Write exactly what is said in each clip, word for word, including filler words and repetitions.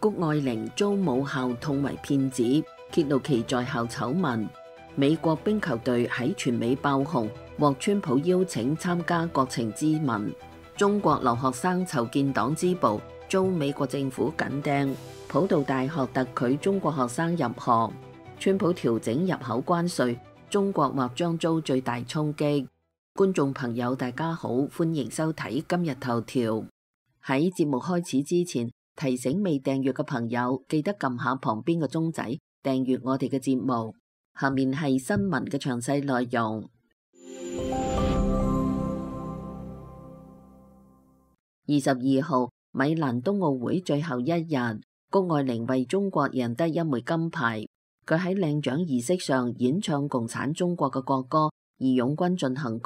谷愛凌遭母校痛為騙子，揭露其在校醜聞。美國冰球隊喺全美爆紅，獲川普邀請參加國情咨文。中國留學生籌建黨支部，遭美國政府緊盯。普渡大學特拒中國學生入學。川普調整入口關稅，中國或將遭最大衝擊。觀眾朋友大家好，歡迎收睇今日頭條。喺節目開始之前，提醒未訂閱嘅朋友記得撳下旁邊嘅鐘仔，訂閱我哋嘅節目。下面係新聞嘅詳細內容。二十二號米蘭冬奧會最後一日，谷愛凌為中國贏得一枚金牌。佢喺領獎儀式上演唱共產中國嘅國歌《義勇軍進行曲》，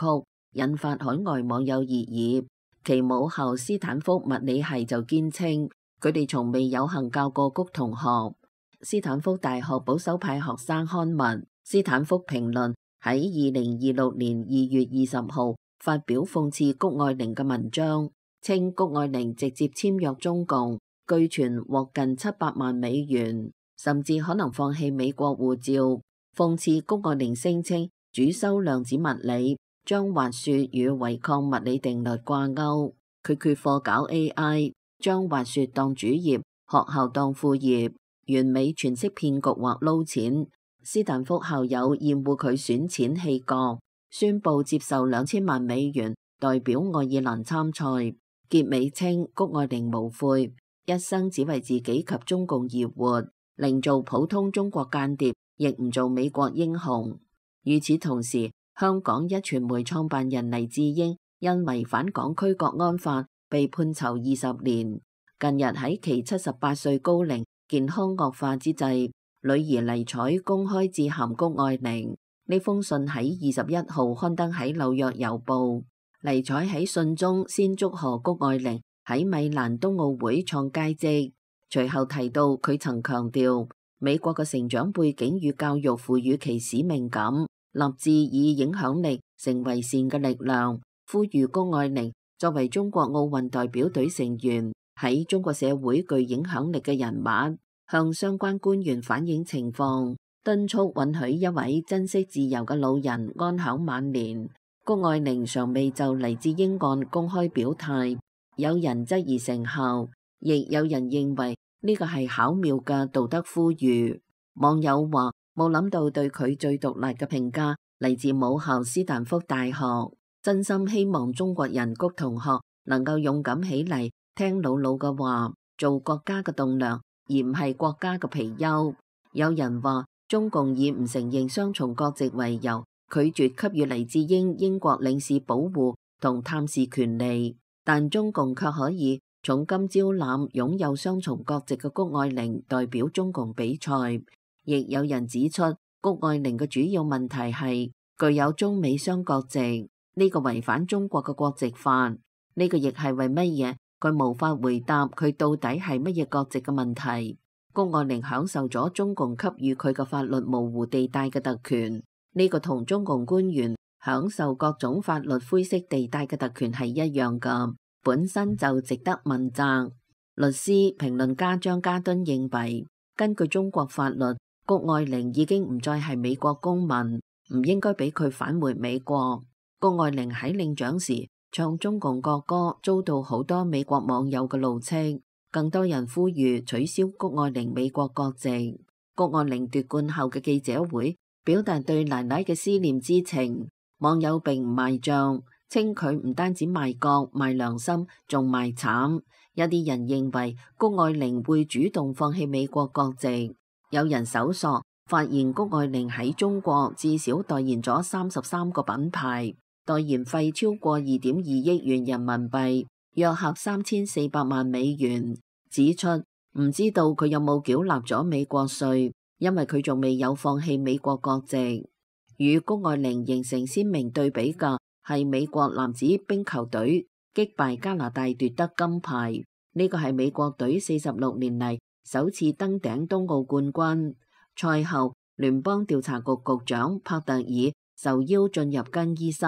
引發海外網友熱議。其母校斯坦福物理系就堅稱，佢哋從未有幸教過谷同學。斯坦福大學保守派學生刊物《斯坦福評論》喺二零二六年二月二十號發表諷刺谷愛凌嘅文章，稱谷愛凌直接簽約中共，據傳獲近七百萬美元，甚至可能放棄美國護照。諷刺谷愛凌聲稱主修量子物理，將滑雪與違抗物理定律掛鈎。佢缺課搞 A I， 將滑雪當主業，學校當副業，完美詮釋騙局或撈錢。斯坦福校友厭惡佢選錢棄國，宣布接受兩千萬美元代表愛爾蘭參賽。結尾稱谷愛凌無悔，一生只為自己及中共而活，寧做普通中國間諜，亦唔做美國英雄。與此同時，香港一傳媒創辦人黎智英因違反港區國安法被判囚二十年。近日喺其七十八歲高齡健康惡化之際，女兒黎采公開致函谷愛凌。呢封信喺二十一號刊登喺紐約郵報。黎采喺信中先祝賀谷愛凌喺米蘭冬奧會創佳績，隨後提到佢曾強調美國嘅成長背景與教育賦予其使命感，立志以影響力成為善嘅力量，呼籲谷愛凌作為中國奧運代表隊成員，喺中國社會具影響力嘅人物，向相關官員反映情況，敦促允許一位珍惜自由嘅老人安享晚年。谷愛凌尚未就黎智英案公開表態，有人質疑成效，亦有人認為呢個係巧妙嘅道德呼籲。網友話冇諗到對佢最毒辣嘅評價嚟自母校斯坦福大學，真心希望中國人谷同學能夠勇敢起嚟，聽老老嘅話，做國家嘅棟樑，而唔係國家嘅貔貅。有人話中共以唔承認雙重國籍為由，拒絕給予黎智英英國領事保護同探視權利，但中共卻可以重金招攬擁有雙重國籍嘅谷愛凌代表中共比賽。亦有人指出，谷愛凌嘅主要問題係具有中美雙國籍，呢個違反中國嘅國籍法。呢個亦係為乜嘢佢無法回答佢到底係乜嘢國籍嘅問題。谷愛凌享受咗中共給予佢嘅法律模糊地帶嘅特權，呢個同中共官員享受各種法律灰色地帶嘅特權係一樣㗎，本身就值得問責。律師評論家張家敦認為，根據中國法律，谷愛凌已經唔再係美國公民，唔應該俾佢返回美國。谷愛凌喺領獎時唱中共國歌，遭到好多美國網友嘅怒斥，更多人呼籲取消谷愛凌美國國籍。谷愛凌奪冠後嘅記者會表達對奶奶嘅思念之情，網友並唔賣賬，稱佢唔單止賣國賣良心，仲賣慘。有啲人認為谷愛凌會主動放棄美國國籍。有人搜索發現谷愛凌喺中國至少代言咗三十三個品牌，代言費超過二點二億元人民幣，約合三千四百萬美元。指出唔知道佢有冇繳納咗美國稅，因為佢仲未有放棄美國國籍。與谷愛凌形成鮮明對比嘅係美國男子冰球隊擊敗加拿大奪得金牌，呢個係美國隊四十六年嚟首次登頂冬奧冠軍。賽後，聯邦調查局局長帕特爾受邀進入更衣室，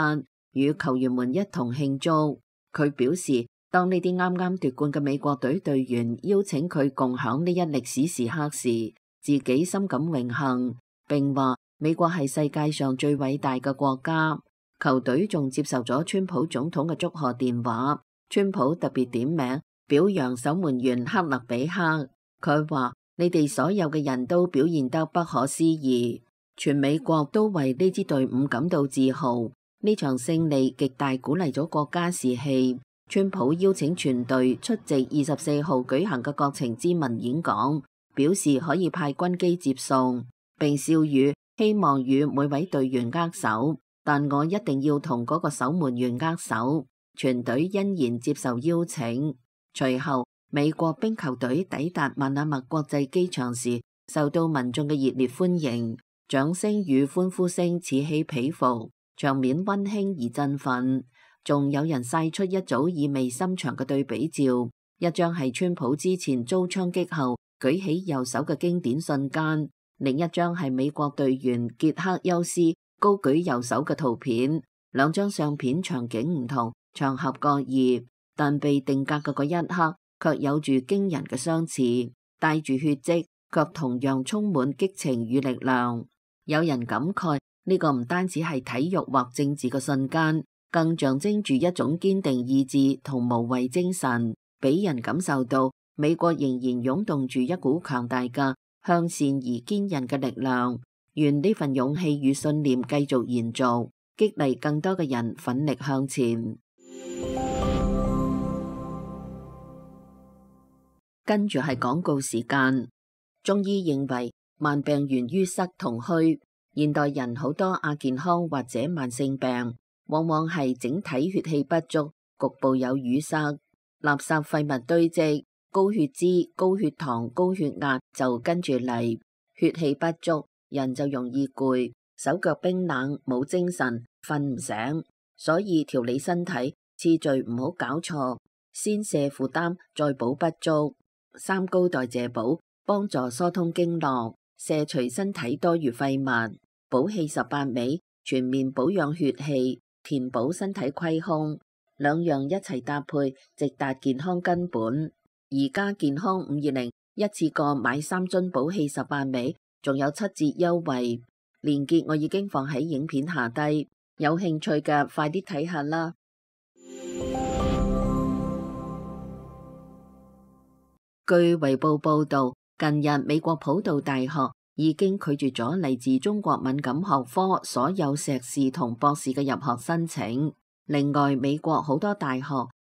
與球員們一同慶祝。佢表示當呢啲啱啱奪冠嘅美國隊隊員邀請佢共享呢一歷史時刻時，自己深感榮幸，並話美國係世界上最偉大嘅國家。球隊仲接受咗川普總統嘅祝賀電話，川普特別點名表揚守門員克勒比克。佢話：你哋所有嘅人都表現得不可思議，全美國都為呢支隊伍感到自豪。呢場勝利極大鼓勵咗國家士氣。川普邀請全隊出席二十四號舉行嘅國情咨文演講，表示可以派軍機接送，並笑語希望與每位隊員握手，但我一定要同嗰個守門員握手。全隊欣然接受邀請。隨後，美國冰球隊抵達萬那麥國際機場時，受到民眾嘅熱烈歡迎，掌聲與歡呼聲此起彼伏，場面溫馨而振奮。仲有人晒出一組意味深長嘅對比照，一張係川普之前遭槍擊後舉起右手嘅經典瞬間，另一張係美國隊員傑克休斯高舉右手嘅圖片。兩張相片場景唔同，場合各異，但被定格嘅嗰一刻卻有住驚人嘅相似，帶住血跡，卻同樣充滿激情與力量。有人感慨呢個唔單止係體育或政治嘅瞬間，更象徵住一種堅定意志同無畏精神，俾人感受到美國仍然湧動住一股強大嘅向善而堅韌嘅力量。願呢份勇氣與信念繼續延續，激勵更多嘅人奮力向前。跟住係廣告時間。中醫認為慢病源於塞同虛，現代人好多亞健康或者慢性病，往往係整體血氣不足，局部有淤塞，垃圾廢物堆積，高血脂、高血糖、高血壓就跟住嚟。血氣不足，人就容易攰，手腳冰冷，冇精神，瞓唔醒。所以調理身體次序唔好搞錯，先瀉負擔，再補不足。三高代謝補幫助疏通經絡，瀉除身體多餘廢物。補氣十八味全面保養血氣，填補身體虧空，兩樣一齊搭配，直達健康根本。而家健康五二零一次過買三樽補氣十八味，仲有七折優惠，鏈接我已經放喺影片下低，有興趣嘅快啲睇下啦。據衛報報道，近日美國普渡大學已經拒絕咗嚟自中國敏感學科所有碩士同博士嘅入學申請。另外，美國好多大學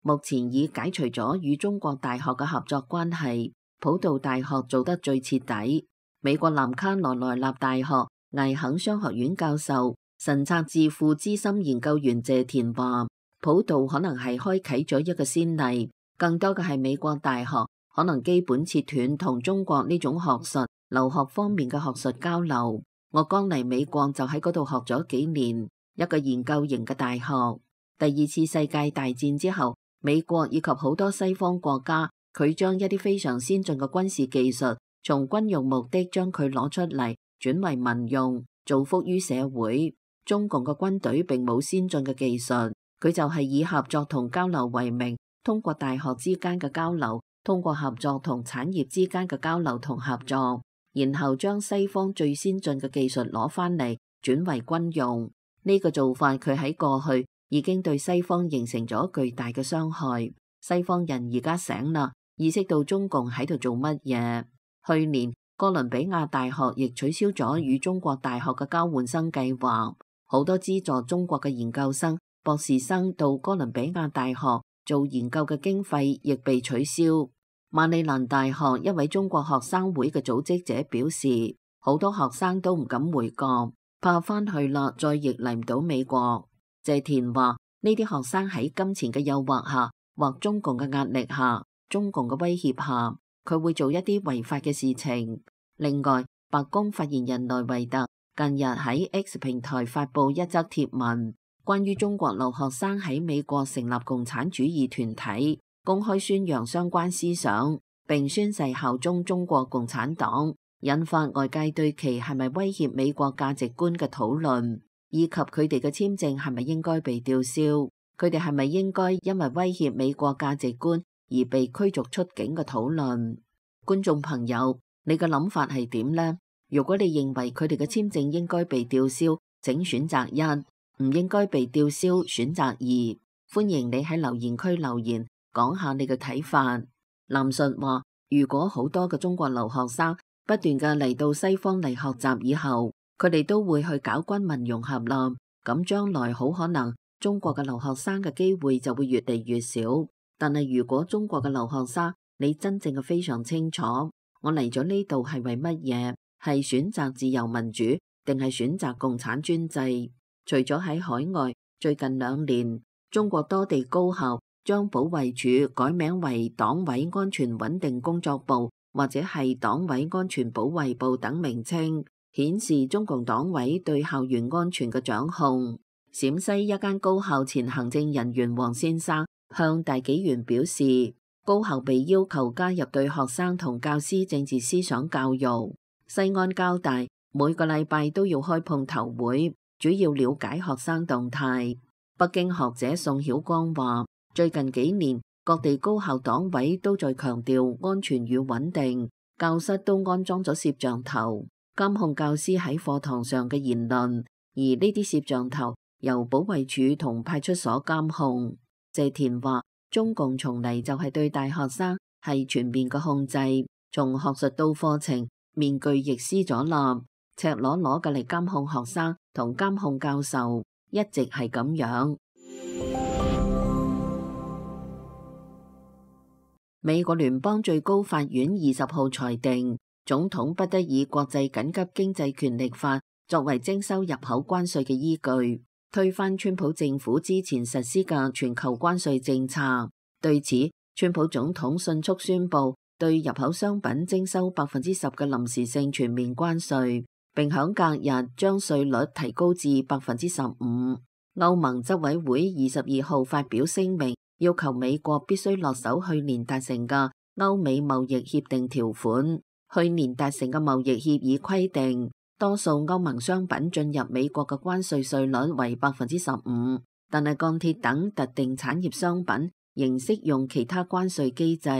目前已解除咗與中國大學嘅合作關係，普渡大學做得最徹底。美國南卡羅來納大學艾肯商學院教授、神策智庫資深研究員謝田話，普渡可能係開啟咗一個先例，更多嘅係美國大學可能基本切斷同中國呢種學術、留學方面嘅學術交流。我剛嚟美國就喺嗰度學咗幾年，一個研究型嘅大學。第二次世界大戰之後，美國以及好多西方國家，佢將一啲非常先進嘅軍事技術，從軍用目的將佢攞出嚟，轉為民用，造福於社會。中共嘅軍隊並冇先進嘅技術，佢就係以合作同交流為名，通過大學之間嘅交流，通過合作同產業之間嘅交流同合作，然後將西方最先進嘅技術攞翻嚟，轉為軍用。呢個做法佢喺過去已經對西方形成咗巨大嘅傷害。西方人而家醒啦，意識到中共喺度做乜嘢。去年哥倫比亞大學亦取消咗與中國大學嘅交換生計劃，好多資助中國嘅研究生、博士生到哥倫比亞大學做研究嘅經費亦被取消。馬里蘭大學一位中國學生會嘅組織者表示，好多學生都唔敢回國，怕翻去啦再亦嚟唔到美國。謝田話：呢啲學生喺金錢嘅誘惑下，或中共嘅壓力下，中共嘅威脅下，佢會做一啲違法嘅事情。另外，白宮發言人萊維特近日喺 X 平台發布一則貼文，關於中國留學生喺美國成立共產主義團體，公開宣揚相關思想，並宣誓效忠中國共產黨，引發外界對其係咪威脅美國價值觀嘅討論，以及佢哋嘅簽證係咪應該被吊銷。佢哋係咪應該因為威脅美國價值觀而被驅逐出境嘅討論？觀眾朋友，你嘅諗法係點呢？如果你認為佢哋嘅簽證應該被吊銷，請選擇一；唔應該被吊銷，選擇二。歡迎你喺留言區留言，講下你嘅睇法。林述話：如果好多嘅中國留學生不斷嘅嚟到西方嚟學習以後，佢哋都會去搞軍民融合啦，咁將來好可能中國嘅留學生嘅機會就會越嚟越少。但係如果中國嘅留學生，你真正嘅非常清楚，我嚟咗呢度係為乜嘢？係選擇自由民主，定係選擇共產專制？除咗喺海外，最近兩年，中國多地高校將保衛處改名為黨委安全穩定工作部，或者係黨委安全保衛部等名稱，顯示中共黨委對校園安全嘅掌控。陝西一間高校前行政人員王先生向大紀元表示，高校被要求加入對學生同教師政治思想教育。西安交大每個禮拜都要開碰頭會，主要了解學生動態。北京學者宋曉光話，最近幾年各地高校黨委都在強調安全與穩定，教室都安裝咗攝像頭，監控教師喺課堂上嘅言論，而呢啲攝像頭由保衛處同派出所監控。謝田話，中共從嚟就係對大學生係全面嘅控制，從學術到課程，面具亦撕咗啦，赤裸裸嘅嚟監控學生同監控教授，一直係咁樣。美國聯邦最高法院二十號裁定，總統不得以國際緊急經濟權力法作為徵收入口關稅嘅依據，推翻川普政府之前實施嘅全球關稅政策。對此，川普總統迅速宣布對入口商品徵收百分之十嘅臨時性全面關稅，並響隔日將稅率提高至百分之十五。歐盟執委會二十二號發表聲明，要求美國必須落實去年達成嘅歐美貿易協定條款。去年達成嘅貿易協議規定，多數歐盟商品進入美國嘅關稅稅率為百分之十五，但係鋼鐵等特定產業商品仍適用其他關稅機制。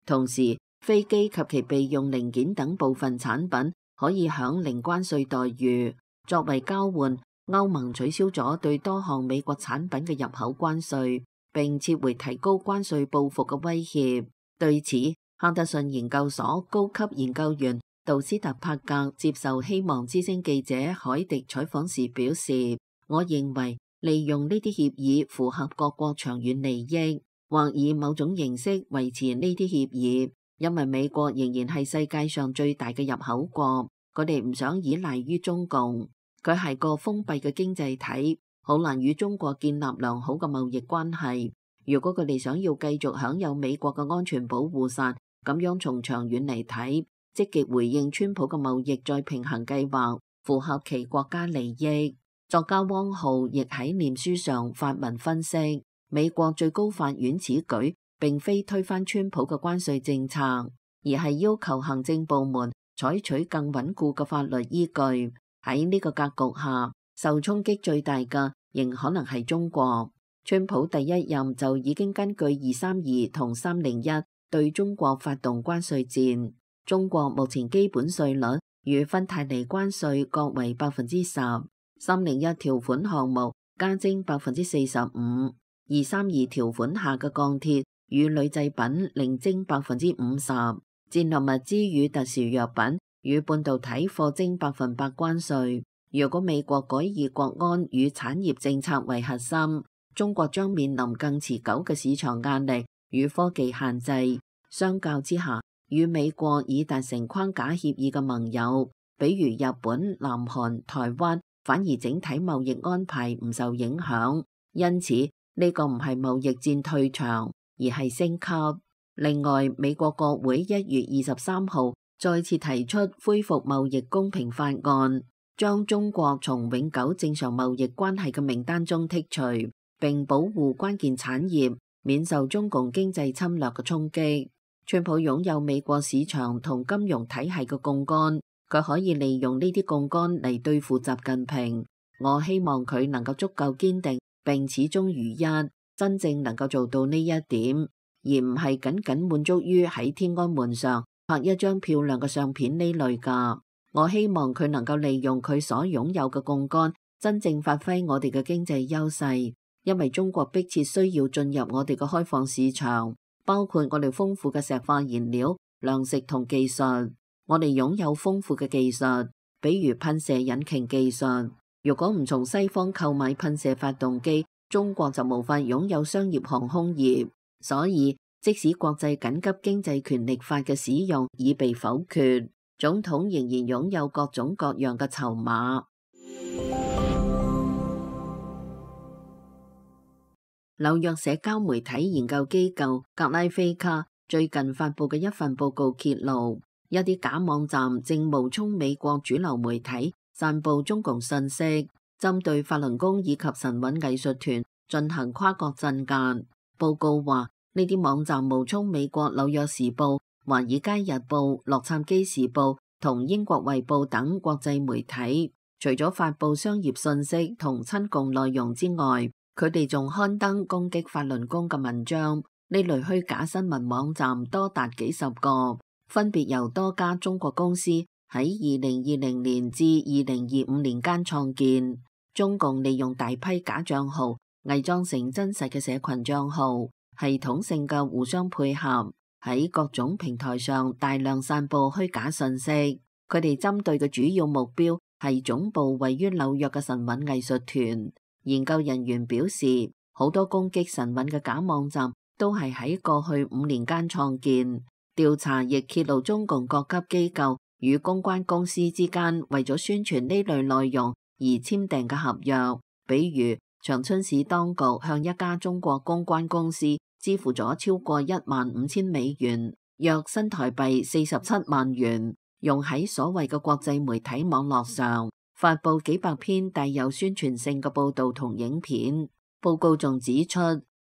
同時，飛機及其備用零件等部分產品可以享零關稅待遇。作為交換，歐盟取消咗對多項美國產品嘅入口關稅，並撤回提高關稅報復嘅威脅。對此，哈德遜研究所高級研究員杜斯特帕格接受希望之聲記者海迪採訪時表示，我認為利用呢啲協議符合各國長遠利益，或以某種形式維持呢啲協議。因為美國仍然係世界上最大嘅入口國，佢哋唔想依賴於中共，佢係個封閉嘅經濟體，好難與中國建立良好嘅貿易關係。如果佢哋想要繼續享有美國嘅安全保護傘，咁樣從長遠嚟睇，積極回應川普嘅貿易再平衡計劃，符合其國家利益。作家汪浩亦喺臉書上發文分析，美國最高法院此舉並非推翻川普嘅關稅政策，而係要求行政部門採取更穩固嘅法律依據。喺呢個格局下，受衝擊最大嘅仍可能係中國。川普第一任就已經根據二三二同三零一對中國發動關稅戰。中國目前基本稅率與芬太尼關稅各為百分之十，三零一條款項目加徵百分之四十五，二三二條款下嘅鋼鐵與鋁製品另徵百分之五十，戰略物資與特殊藥品與半導體課徵百分百關稅。如果美國改以國安與產業政策為核心，中國將面臨更持久嘅市場壓力與科技限制。相較之下，與美國已達成框架協議嘅盟友，比如日本、南韓、台灣，反而整體貿易安排唔受影響。因此，呢個唔係貿易戰退場，而係升級。另外，美國國會一月二十三號再次提出恢復貿易公平法案，將中國從永久正常貿易關係嘅名單中剔除，並保護關鍵產業免受中共經濟侵略嘅衝擊。川普擁有美國市場同金融體系嘅槓桿，佢可以利用呢啲槓桿嚟對付習近平。我希望佢能夠足夠堅定並始終如一。真正能夠做到呢一點，而唔係僅僅滿足於喺天安門上拍一張漂亮嘅相片呢類㗎。我希望佢能夠利用佢所擁有嘅槓桿，真正發揮我哋嘅經濟優勢，因為中國迫切需要進入我哋嘅開放市場，包括我哋豐富嘅石化燃料、糧食同技術。我哋擁有豐富嘅技術，比如噴射引擎技術。如果唔從西方購買噴射發動機，中國就無法擁有商業航空業。所以，即使國際緊急經濟權力法嘅使用已被否決，總統仍然擁有各種各樣嘅籌碼。紐約社交媒體研究機構格拉菲卡最近發布嘅一份報告揭露，一啲假網站正冒充美國主流媒體，散布中共信息，針對法輪功以及神韻藝術團進行跨國鎮壓。報告話，呢啲網站冒充美國紐約時報、華爾街日報、洛杉磯時報同英國衛報等國際媒體，除咗發布商業信息同親共內容之外，佢哋仲刊登攻擊法輪功嘅文章。呢類虛假新聞網站多達幾十個，分別由多家中國公司喺二零二零年至二零二五年間創建。中共利用大批假賬號偽裝成真實嘅社群賬號，系統性嘅互相配合，喺各種平台上大量散布虛假信息。佢哋針對嘅主要目標係總部位於紐約嘅神韻藝術團。研究人員表示，好多攻擊神韻嘅假網站都係喺過去五年間創建。調查亦揭露中共各級機構與公關公司之間為咗宣傳呢類內容而簽訂嘅合約，比如長春市當局向一家中國公關公司支付咗超過一萬五千美元，約新台幣四十七萬元，用喺所謂嘅國際媒體網絡上發布幾百篇帶有宣傳性嘅報導同影片。報告仲指出，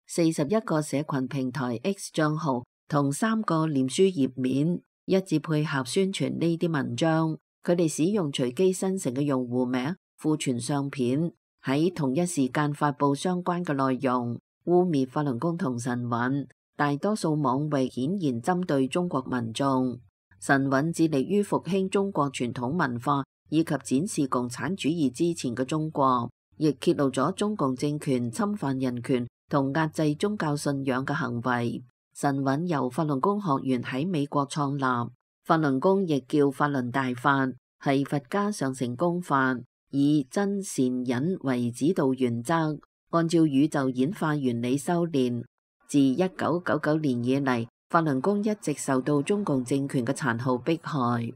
四十一個社群平台 X 帳號同三個臉書頁面一致配合宣傳呢啲文章。佢哋使用隨機生成嘅用戶名庫存相片，喺同一時間發布相關嘅內容，污蔑法輪功同神韻。大多數網域顯然針對中國民眾。神韻致力於復興中國傳統文化，以及展示共產主義之前嘅中國，亦揭露咗中共政權侵犯人權同壓制宗教信仰嘅行為。神韻由法輪功學員喺美國創立，法輪功亦叫法輪大法，係佛家上乘功法，以真善忍為指導原則，按照宇宙演化原理修煉。自一九九九年以嚟，法輪功一直受到中共政權嘅殘酷迫害。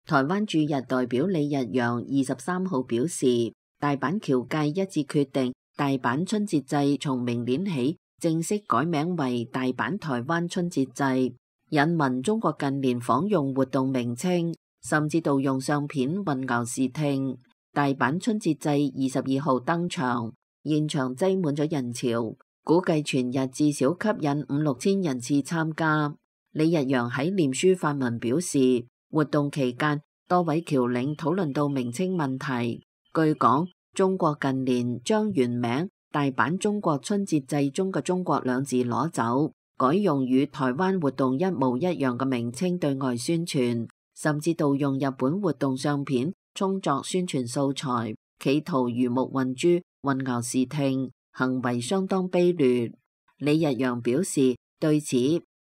台灣駐日代表李日陽二十三號表示，大阪僑界一致決定，大阪春節祭從明年起正式改名為大阪台灣春節祭，引文中國近年仿用活動名稱，甚至盜用相片混淆視聽。大阪春節祭二十二號登場，現場擠滿咗人潮，估計全日至少吸引五六千人次參加。李日陽喺臉書發文表示，活動期間，多位僑領討論到名稱問題。據講，中國近年將原名大阪中國春節祭中嘅中國兩字攞走，改用與台灣活動一模一樣嘅名稱對外宣傳，甚至盜用日本活動相片充作宣傳素材，企圖魚目混珠、混淆視聽，行為相當卑劣。李日陽表示，對此，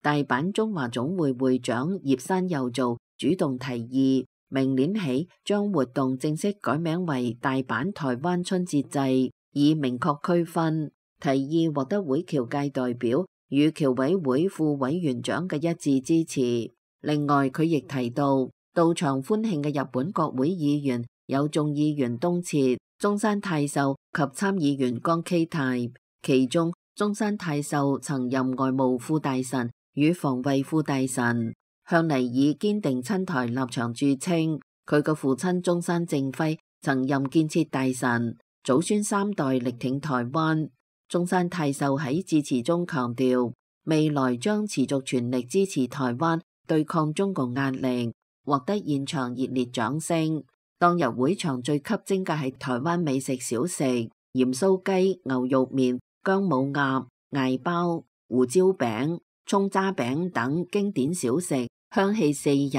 大阪中華總會會長葉山佑造主動提議，明年起將活動正式改名為大阪台灣春節祭，以明確區分。提議獲得會僑界代表與僑委會副委員長嘅一致支持。另外，佢亦提到，到場歡慶嘅日本國會議員有眾議員東徹、中山泰秀及參議員江啟泰，其中中山泰秀曾任外務副大臣與防衛副大臣，向嚟以堅定親台立場著稱。佢嘅父親中山正輝曾任建設大臣，祖孫三代力挺台灣。中山泰秀喺致辭中強調，未來將持續全力支持台灣對抗中共壓力，獲得現場熱烈掌聲。當日會場最吸睛嘅係台灣美食小食，鹽酥雞、牛肉麵、薑母鴨、艾包、胡椒餅、蔥渣餅等經典小食，香氣四溢。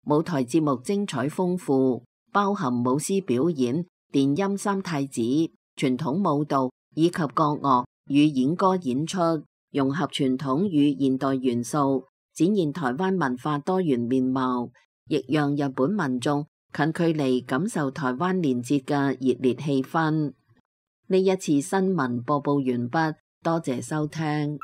舞台節目精彩豐富，包含舞獅表演、電音三太子、傳統舞蹈以及國樂與演歌演出，融合傳統與現代元素，展現台灣文化多元面貌，亦讓日本民眾近距離感受台灣連接嘅熱烈氣氛。呢一次新聞播報完畢，多謝收聽。